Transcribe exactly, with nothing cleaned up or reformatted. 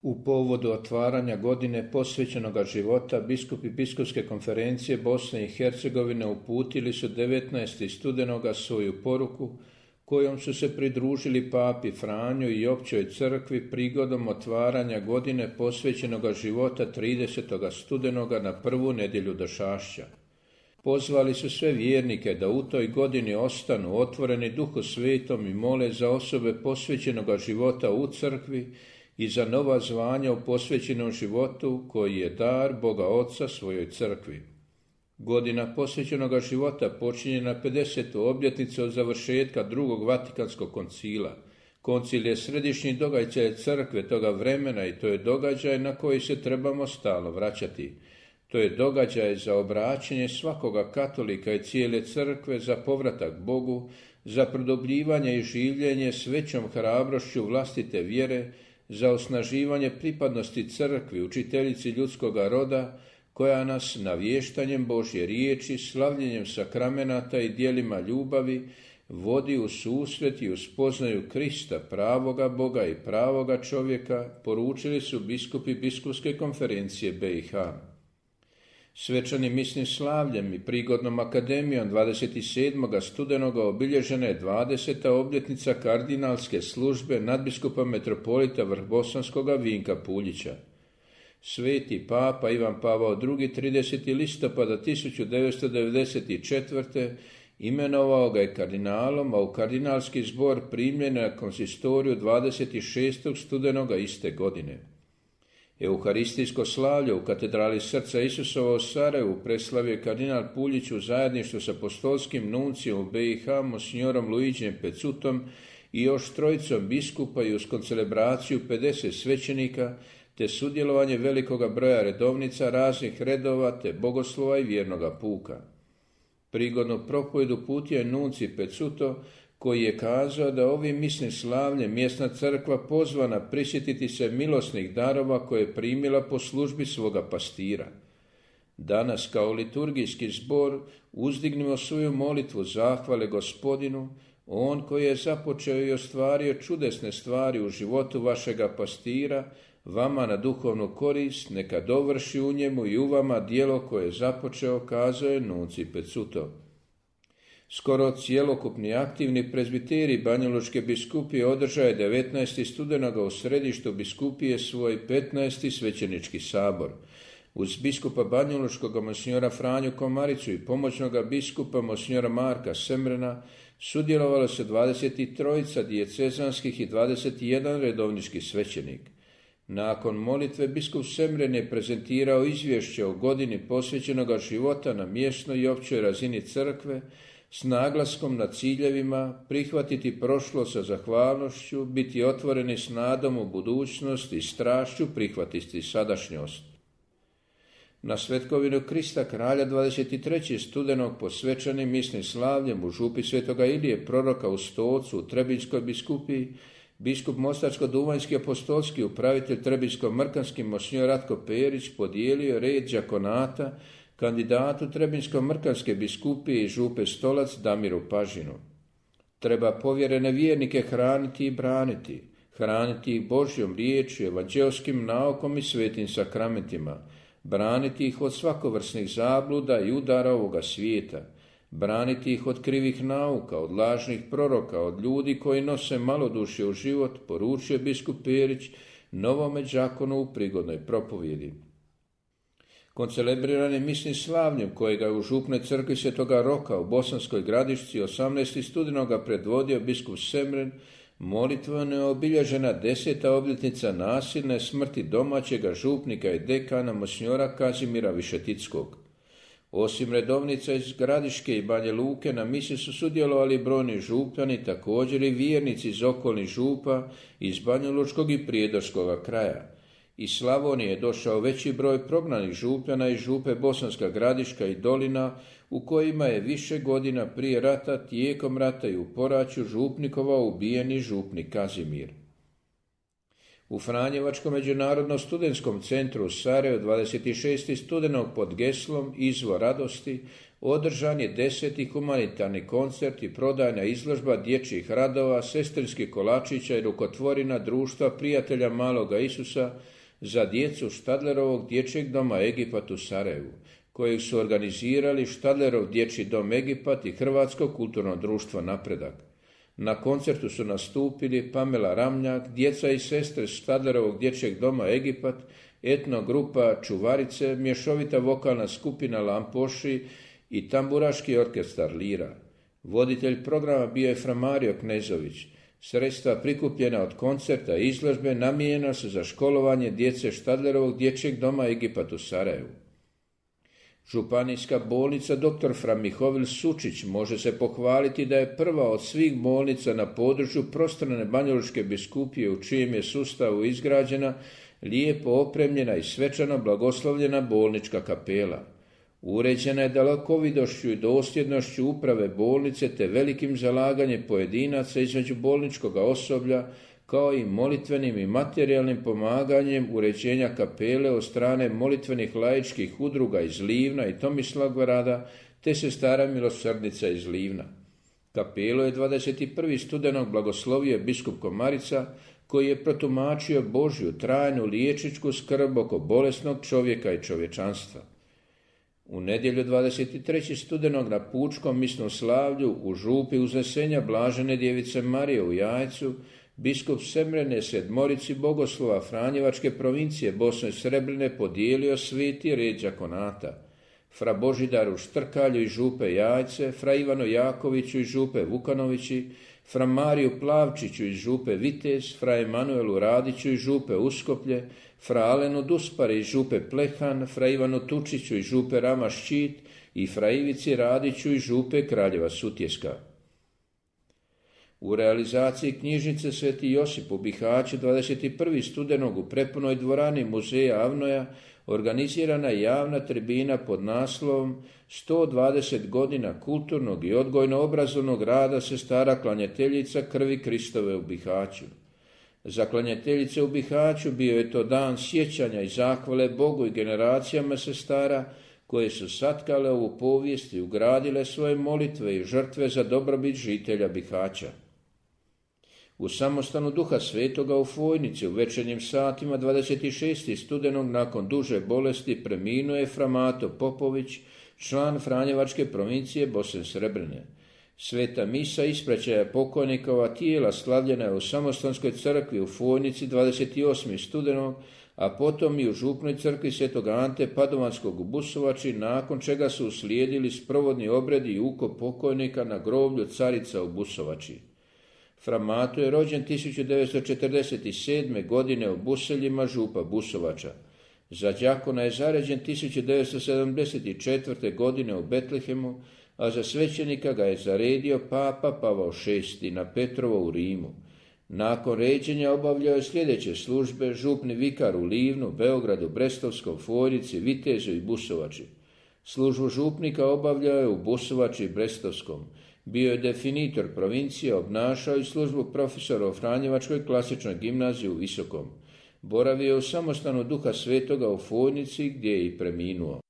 U povodu otvaranja godine posvećenoga života biskupi Biskupske konferencije Bosne i Hercegovine uputili su devetnaestog studenoga svoju poruku kojom su se pridružili papi Franju i općoj crkvi prigodom otvaranja godine posvećenoga života tridesetog studenoga na prvu nedjelju Došašća. Pozvali su sve vjernike da u toj godini ostanu otvoreni Duhu Svetom i mole za osobe posvećenoga života u crkvi i za nova zvanja u posvećenom životu koji je dar Boga Oca svojoj crkvi. Godina posvećenoga života počinje na pedesetu obljetnicu od završetka drugog Vatikanskog koncila. Koncil je središnji događaj crkve toga vremena i to je događaj na koji se trebamo stalno vraćati. To je događaj za obraćanje svakoga katolika i cijele crkve za povratak Bogu, za produbljivanje i življenje s većom hrabrošću vlastite vjere, za osnaživanje pripadnosti crkvi, učiteljici ljudskoga roda, koja nas navještanjem Božje riječi, slavljenjem sakramenata i djelima ljubavi vodi u susret i u spoznaju Krista, pravoga Boga i pravoga čovjeka, poručili su biskupi Biskupske konferencije B i H. Svečanim misnim slavljem i prigodnom akademijom dvadeset sedmog studenoga obilježena je dvadeseta obljetnica kardinalske službe nadbiskupa metropolita Vrhbosanskoga Vinka Puljića. Sveti papa Ivan Pavao drugi tridesetog listopada tisuću devetsto devedeset četvrte imenovao ga je kardinalom, a u kardinalski zbor primljen na konsistoriju dvadeset šestog studenoga iste godine. Euharistijsko slavlje u katedrali Srca Isusova u Sarajevu preslavio kardinal Puljić u zajedništvu s apostolskim nuncijom u B i H, monsignorom Luigijem Pecutom i još trojicom biskupa i uz koncelebraciju pedeset svećenika, te sudjelovanje velikoga broja redovnica raznih redova te bogoslova i vjernoga puka. Prigodnu propovjed uputio je nunci Pecuto, koji je kazao da ovim misnim slavljem mjesna crkva pozvana prisjetiti se milosnih darova koje je primila po službi svoga pastira. Danas kao liturgijski zbor uzdignimo svoju molitvu zahvale Gospodinu, on koji je započeo i ostvario čudesne stvari u životu vašega pastira, vama na duhovnu korist, neka dovrši u njemu i u vama djelo koje je započeo, kazao je nunci Pecuto. Skoro cjelokupni aktivni prezbiteri Banjalučke biskupije održao je devetnaestog studenoga u središtu biskupije svoj petnaesti svećenički sabor. Uz biskupa Banjalučkog monsinjora Franju Komaricu i pomoćnoga biskupa monsinjora Marka Semrena sudjelovalo se dvadeset tri dijecezanskih i dvadeset jedan redovnički svećenik. Nakon molitve biskup Semren je prezentirao izvješće o godini posvećenoga života na mjesnoj i općoj razini crkve s naglaskom na ciljevima prihvatiti prošlo sa zahvalnošću, biti otvoreni s nadom u budućnost i strašću prihvatiti sadašnjost. Na svetkovinu Krista kralja dvadeset trećeg studenog posvećenim misnim slavljem u župi Svetoga Ilije proroka u Stocu u Trebinjskoj biskupiji, biskup Mostarsko-duvanjski apostolski upravitelj Trebinjsko-mrkanski monsinjor Ratko Perić podijelio red đakonata kandidatu Trebinjsko-mrkanske biskupije i župe Stolac Damiru Pažinu. Treba povjerene vjernike hraniti i braniti, hraniti ih Božjom riječju, evanđelskim naukom i svetim sakramentima, braniti ih od svakovrsnih zabluda i udara ovoga svijeta, braniti ih od krivih nauka, od lažnih proroka, od ljudi koji nose malodušje u život, poručio biskup Perić novome đakonu u prigodnoj propovjedi. Koncelebrirani misnim slavljem kojega je u župnoj crkvi Svetoga Roka u Bosanskoj Gradišci osamnaestog studenoga predvodio biskup Semren, molitveno je obilježena deseta obljetnica nasilne smrti domaćega župnika i dekana monsinjora Kazimira Višetickog. Osim redovnica iz Gradiške i Banja Luke, na misi su sudjelovali brojni župani, također i vjernici iz okolnih župa, iz Banjalučkog i Prijedorskoga kraja. Iz Slavonije je došao veći broj prognanih župljana iz župe Bosanska Gradiška i Dolina, u kojima je više godina prije rata, tijekom rata i u poraću župnikovao ubijeni župnik Kazimir. U Franjevačkom međunarodnom studentskom centru u Sarajevu dvadeset šestog studenog pod geslom Izvor radosti održan je deseti humanitarni koncert i prodajna izložba dječjih radova, sestrinskih kolačića i rukotvorina društva prijatelja Maloga Isusa za djecu Štadlerovog dječjeg doma Egipat u Sarajevu, kojeg su organizirali Štadlerov dječji dom Egipat i Hrvatsko kulturno društvo Napredak. Na koncertu su nastupili Pamela Ramljak, djeca i sestre Štadlerovog dječjeg doma Egipat, etnogrupa Čuvarice, mješovita vokalna skupina Lampoši i tamburaški orkestar Lira. Voditelj programa bio je Fra Mario Knezović. Sredstva prikupljena od koncerta i izložbe namijenjena su za školovanje djece Štadlerovog dječjeg doma Egipat u Sarajevu. Županijska bolnica doktor Fra Mihovil Sučić može se pohvaliti da je prva od svih bolnica na području prostrane Banjalučke biskupije u čijem je sustavu izgrađena lijepo opremljena i svečano blagoslovljena bolnička kapela. Uređena je dalekovidošću i dosljednošću uprave bolnice te velikim zalaganjem pojedinaca između bolničkog osoblja, kao i molitvenim i materijalnim pomaganjem uređenja kapele od strane molitvenih laičkih udruga iz Livna i Tomislavgrada te sestara milosrdnica iz Livna. Kapelu je dvadeset prvog studenog blagoslovio biskup Komarica, koji je protumačio Božju trajnu liječničku skrb oko bolesnog čovjeka i čovječanstva. U nedjelju dvadeset trećeg studenog na pučkom misnom slavlju u župi Uznesenja Blažene djevice Marije u Jajcu, biskup Semrene Sedmorici Bogoslova Franjevačke provincije Bosne i Srebrne podijelio sveti red đakonata. Fra Božidaru Štrkalju iz župe Jajce, fra Ivanu Jakoviću iz župe Vukanovići, fra Mariju Plavčiću iz župe Vitez, fra Emanuelu Radiću iz župe Uskoplje, fra Alenu Duspari iz župe Plehan, fra Ivanu Tučiću iz župe Rama Ščit i fra Ivici Radiću iz župe Kraljeva Sutjeska. U realizaciji knjižnice Sveti Josip u Bihaću dvadeset prvog studenog u prepunoj dvorani muzeja Avnoja organizirana je javna tribina pod naslovom sto dvadeset godina kulturnog i odgojno-obrazovnog rada sestara klanjateljica krvi Kristove u Bihaću. Za klanjateljice u Bihaću bio je to dan sjećanja i zahvale Bogu i generacijama sestara koje su satkale ovu povijest i ugradile svoje molitve i žrtve za dobrobit žitelja Bihaća. U samostanu Duha Svetoga u Fojnici u večernjim satima dvadeset šestog studenog nakon duže bolesti preminuo je Fra Mato Popović, član Franjevačke provincije Bosne i Srebrne. Sveta misa ispraćaja pokojnikova tijela slavljena je u Samostanskoj crkvi u Fojnici dvadeset osmog studenog, a potom i u župnoj crkvi Svetog Ante Padovanskog u Busovači, nakon čega su uslijedili sprovodni obredi i ukop pokojnika na groblju Carica u Busovači. Fra Mato je rođen tisuću devetsto četrdeset sedme. godine u Buseljima župa Busovača. Za đakona je zaređen tisuću devetsto sedamdeset četvrte. godine u Betlehemu, a za svećenika ga je zaredio papa Pavao šesti. na Petrovo u Rimu. Nakon ređenja obavljao je sljedeće službe: župni vikar u Livnu, Beogradu, Brestovskom, Fojnici, Vitezu i Busovači. Službu župnika obavljao je u Busovači i Brestovskom. Bio je definitor provincije, obnašao i službu profesora u Franjevačkoj klasičnoj gimnaziji u Visokom. Boravio je u samostanu Duha Svetoga u Fojnici gdje je i preminuo.